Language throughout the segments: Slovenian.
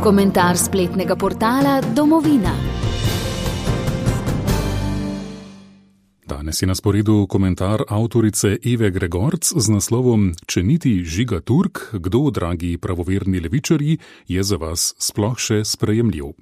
Komentar spletnega portala Domovina. Danes je na sporedu komentar avtorice Eve Gregorc z naslovom Če niti Žiga Turk, kdo, dragi pravoverni levičarji, je za vas sploh še sprejemljiv?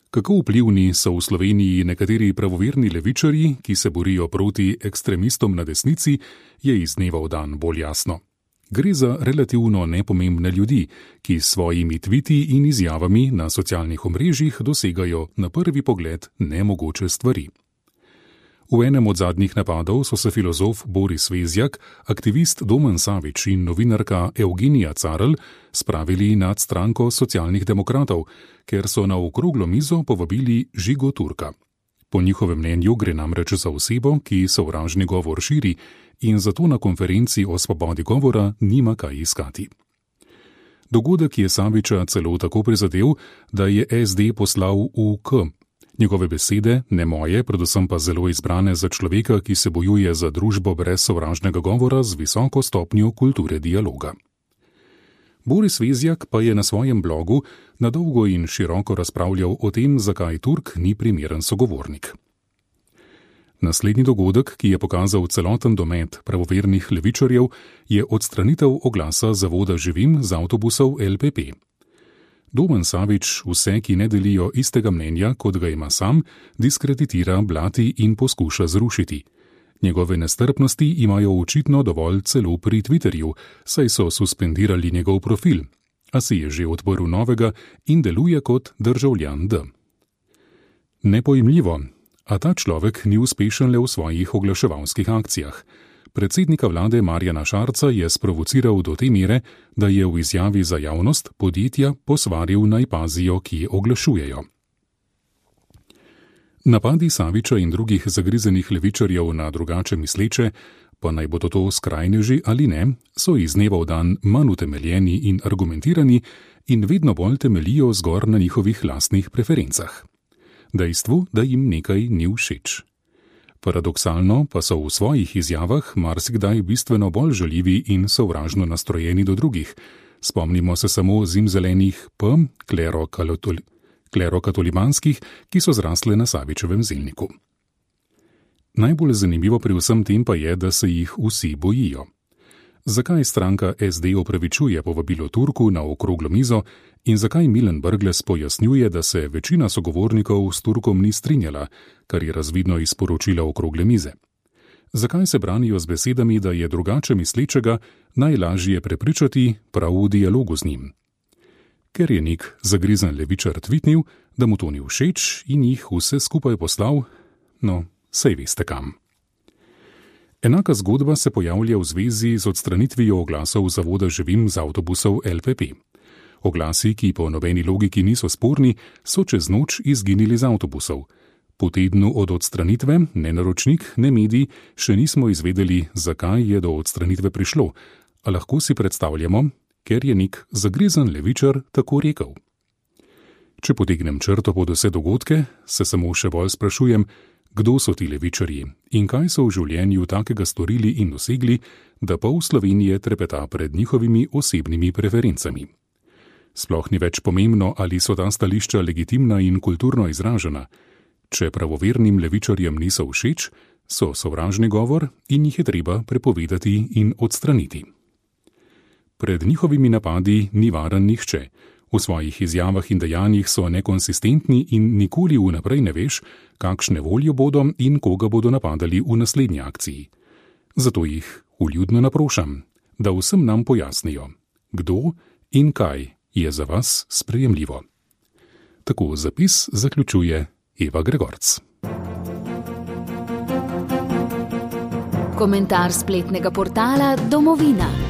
Kako vplivni so v Sloveniji nekateri pravoverni levičarji, ki se borijo proti ekstremistom na desnici, je iz dneva v dan bolj jasno. Gre za relativno nepomembne ljudi, ki s svojimi tviti in izjavami na socialnih omrežjih dosegajo na prvi pogled nemogoče stvari. V enem od zadnjih napadov so se filozof Boris Vezjak, aktivist Domen Savič in novinarka Evgenija Carl spravili nad stranko socialnih demokratov, ker so na okroglo mizo povabili Žigo Turka. Po njihovem mnenju gre namreč za osebo, ki sovražni govor širi in zato na konferenci o svobodi govora nima kaj iskati. Dogodek je Saviča celo tako prizadel, da je SD poslal v K. Njegove besede, ne moje, predvsem pa zelo izbrane za človeka, ki se bojuje za družbo brez sovražnega govora z visoko stopnjo kulture dialoga. Boris Vezjak pa je na svojem blogu na dolgo in široko razpravljal o tem, zakaj Turk ni primeren sogovornik. Naslednji dogodek, ki je pokazal celoten domet pravovernih levičarjev, je odstranitev oglasa zavoda Živim z avtobusov LPP. Domen Savič vse, ki ne delijo istega mnenja, kot ga ima sam, diskreditira, blati in poskuša zrušiti. Njegove nestrpnosti imajo očitno dovolj celo pri Twitterju, saj so suspendirali njegov profil, a si je že odprl novega in deluje kot državljan D. Nepojmljivo, a ta človek ni uspešen le v svojih oglaševalskih akcijah. Predsednika vlade Marjana Šarca je sprovociral do te mere, da je v izjavi za javnost podjetja posvaril, naj pazijo, ki oglašujejo. Napadi Saviča in drugih zagrizenih levičarjev na drugače misleče, pa naj bodo to skrajneži ali ne, so iz dneva v dan manj utemeljeni in argumentirani in vedno bolj temeljijo zgor na njihovih lastnih preferencah. Dejstvu, da jim nekaj ni všeč. Paradoksalno pa so v svojih izjavah marsikdaj bistveno bolj žaljivi in sovražno nastrojeni do drugih. Spomnimo se samo zimzelenih P, klerokatolibanskih, ki so zrasle na Savičevem zelniku. Najbolj zanimivo pri vsem tem pa je, da se jih vsi bojijo. Zakaj stranka SD opravičuje povabilo Turku na okroglo mizo in zakaj Milan Brglez pojasnjuje, da se večina sogovornikov s Turkom ni strinjala, kar je razvidno iz poročila okrogle mize? Zakaj se branijo z besedami, da je drugače mislečega najlažje prepričati prav v dialogu z njim? Ker je nek zagrizen levičar tvitnil, da mu to ni všeč in jih vse skupaj poslal, no, saj veste kam. Enaka zgodba se pojavlja v zvezi z odstranitvijo oglasov zavoda Živim z avtobusov LPP. Oglasi, ki po nobeni logiki niso sporni, so čez noč izginili z avtobusov. Po tednu od odstranitve, ne naročnik, ne medij, še nismo izvedeli, zakaj je do odstranitve prišlo, a lahko si predstavljamo, ker je nek zagrizen levičar tako rekel. Če potegnem črto pod vse dogodke, se samo še bolj sprašujem, kdo so ti levičarji in kaj so v življenju takega storili in dosegli, da pol Slovenije trepeta pred njihovimi osebnimi preferencami. Sploh ni več pomembno, ali so ta stališča legitimna in kulturno izražena. Če pravovernim levičarjem niso všeč, so sovražni govor in jih je treba prepovedati in odstraniti. Pred njihovimi napadi ni varen nihče. V svojih izjavah in dejanjih so nekonsistentni in nikoli vnaprej ne veš, kakšne volje bodo in koga bodo napadali v naslednji akciji. Zato jih vljudno naprošam, da vsem nam pojasnijo, kdo in kaj je za vas sprejemljivo. Tako zapis zaključuje Eva Gregorc. Komentar spletnega portala Domovina.